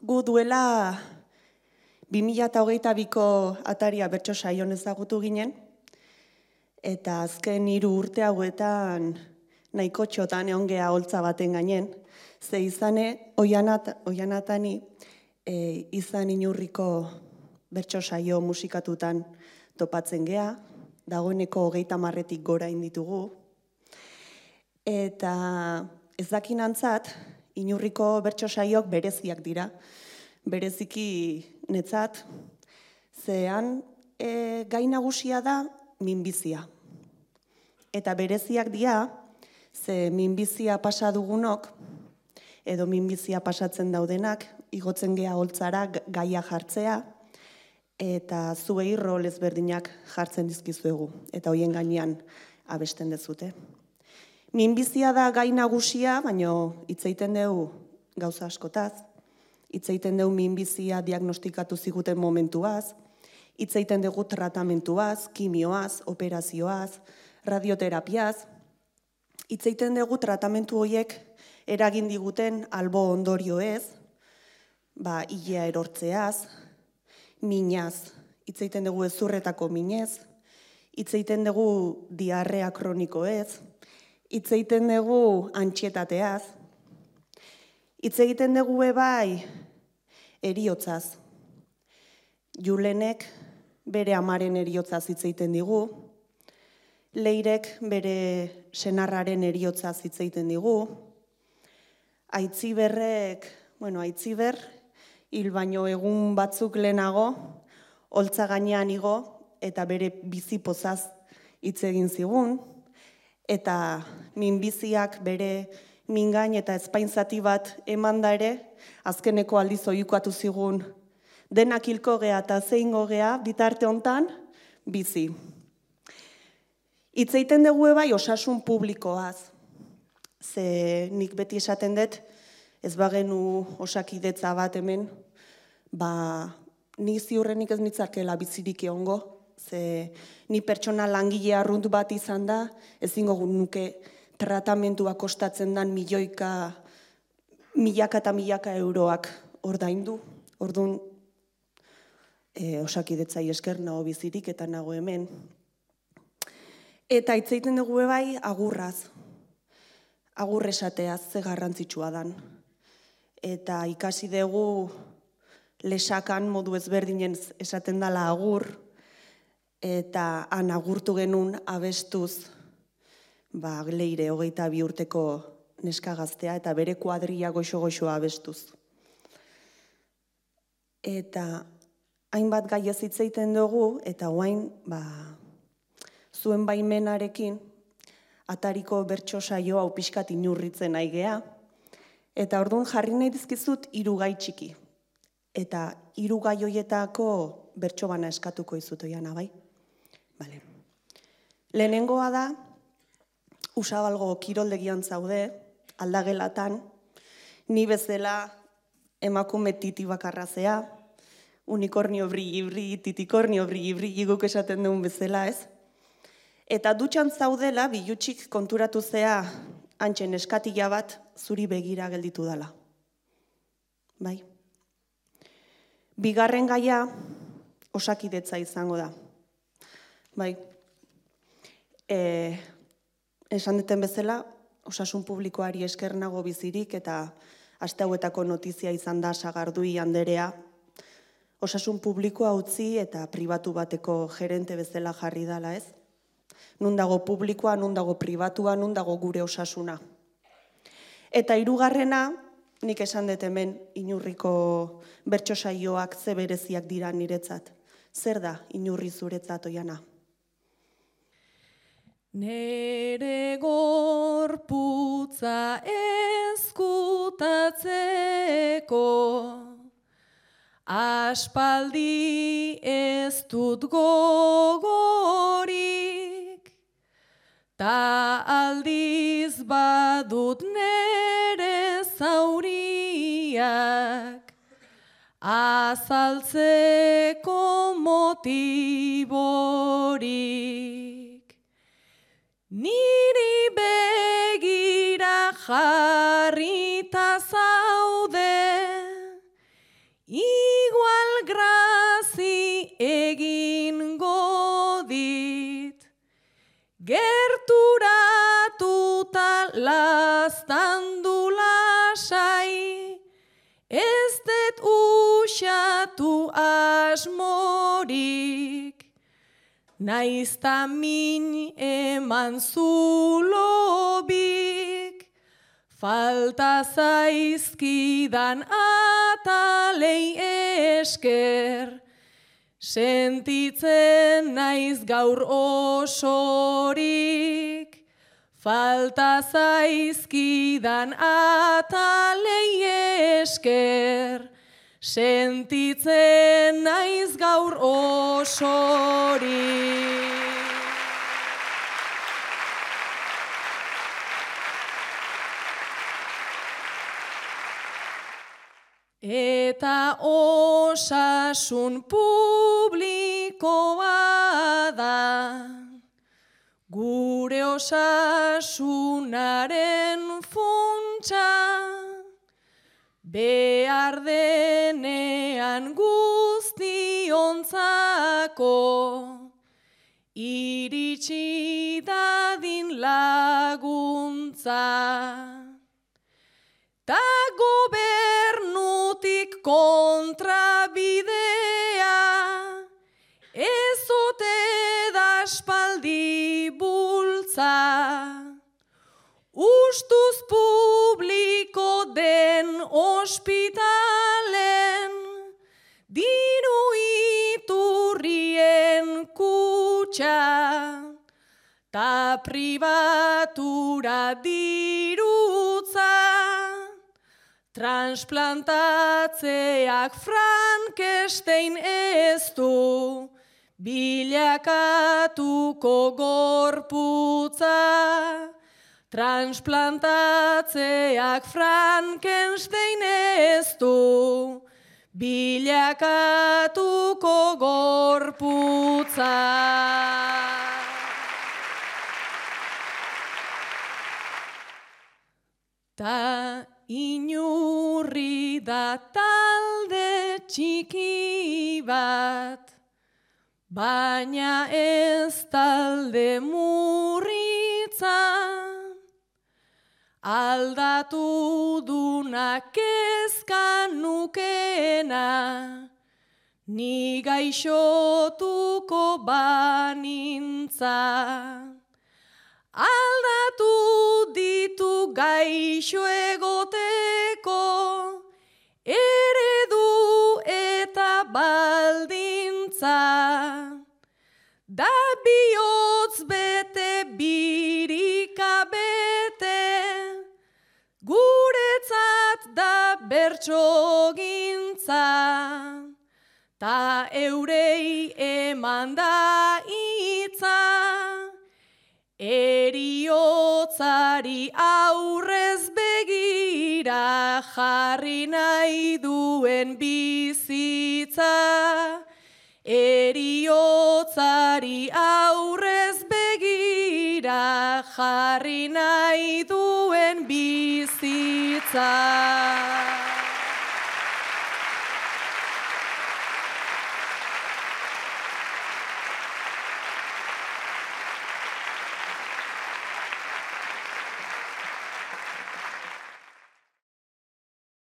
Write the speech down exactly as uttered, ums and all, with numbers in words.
gu duela bi mila hogeita biko ataria bertso saion ezagutu ginen, eta azken hiru urte hauetan nahiko txotan egon gea holtza baten gainen, ze izane Oianatani e, izan Inurriko bertso saio musikatutan topatzen gea, dagoeneko hogeita marretik gora inditugu, eta ez dakinantzat, Inurriko bertso saiok bereziak dira, bereziki netzat, zean e, gai nagusia da minbizia. Eta bereziak dira, ze minbizia pasa dugunok, edo minbizia pasatzen daudenak, igotzen gea holtzara gaia jartzea, eta zuei rol ezberdinak jartzen dizkizuegu, eta hoien gainean abesten dezute. Minbizia da gai nagusia, baino hitz egiten dugu gauza askotaz, hitz egiten dugu minbizia diagnostikatu ziguten momentuaz, hitz egiten dugu tratamentuaz, kimioaz, operazioaz, radioterapiaz, hitz egiten dugu tratamentu horiek eragin diguten albo ondorioez, ba, ilea erortzeaz, minaz, hitz egiten dugu ezurretako minez, hitz egiten dugu diarrea kronikoez, hitz egiten dugu antxietateaz, hitz egiten dugu ebai eriotzaz. Julenek bere amaren eriotzaz hitz egiten digu, Leirek bere senarraren eriotzaz hitz egiten digu, Aitziberrek, bueno, Aitziber, hil baino egun batzuk lehenago, holtza gainean igo, eta bere bizipozaz hitz egin zigun, eta minbiziak bere mingain eta ezpainzati bat eman da ere, azkeneko aldiz oiukatu zigun, denak hilko gea eta zeingo gea, bitarte hontan, bizi. Hitz egiten dugu ebai osasun publikoaz, ze nik beti esaten dut, ez bagenu osakidetza bat hemen, ba, ni ziurrenik ez nitzakela bizirik egongo, ze ni pertsona langile arrunt bat izan da, ezingo nuke tratamentua kostatzen dan milioika, milaka eta milaka euroak ordaindu. Orduan, e, osakidetzai esker nago bizirik eta nago hemen. Eta hitz egiten dugu bai agurraz, agur esateaz ze garrantzitsua dan. Eta ikasi dugu lesakan modu ezberdinen esaten dela agur, eta han agurtu genuen abestuz, ba, Leire hogeita bi urteko neska gaztea, eta bere kuadria goxo-goxoa abestuz. Eta hainbat gai ez hitz egiten dugu, eta orain, ba, zuen baimenarekin, atariko bertso saio hau pixkat inurritzen nahi gea, eta orduan jarri nahi dizkizut hiru gai txiki. Eta hiru gai hoietako bertso bana eskatuko izut Oiana, bai? Bale. Lehenengoa da, Usabalgo kiroldegian zaude, aldagelatan, ni bezala emakume titi bakarrazea, unikornio brilli-brilli, titikornio brilli-brilli guk esaten duen bezala, ez? Eta dutxan zaudela, bilutsik konturatu zea, antxen eskatila bat, zuri begira gelditu dela. Bai? Bigarren gaia, osakidetza izango da. Bai, e, esan duten bezala, osasun publikoari esker nago bizirik eta aste hauetako notizia izan da Sagardui anderea, osasun publikoa utzi eta pribatu bateko gerente bezala jarri dala, ez? Nun dago publikoa, nun dago pribatua, nun dago gure osasuna. Eta hirugarrena, nik esan dut hemen Inurriko bertso saioak ze bereziak dira niretzat. Zer da Inurri zuretzat, Oiana? Nere gorputza ezkutatzeko aspaldi ez dut gogorik, ta aldiz badut nere zauriak azaltzeko motiborik. Niri begira jarrita zaude, ez det usatu asmorik, naizta min eman zulobik, falta zaizkidan atalei esker, sentitzen naiz gaur osorik, falta zaizkidan atalei esker, sentitzen naiz gaur osorik. Eta osasun publikoa da, gure osasunaren funtsa, behar denean guztiontzako, iritsi dadin laguntza. Ta gobernutik kontrabidea, ez ote da aspaldi bultza. Ustuz publiko den ospitalen, diru iturrien kutxa, ta pribatura dirutza. Transplantatzeak Frankenstein ez du, bilakatuko gorputza. Transplantatzeak Frankenstein ez du, bilakatuko gorputza. Ta inurri da talde txiki bat, baina ez talde murritza. Aldatu duna kezka nukena, ni gaixotuko banintza. Aldatu ditu gaixo egoteko, eredu eta baldintza. Da bihotz bete birika bete, guretzat da bertsogintza. Ta eurei eman da hitza, eriotzari aurrez begira jarri nahi duen bizitza. Eriotzari aurrez begira jarri nahi duen bizitza.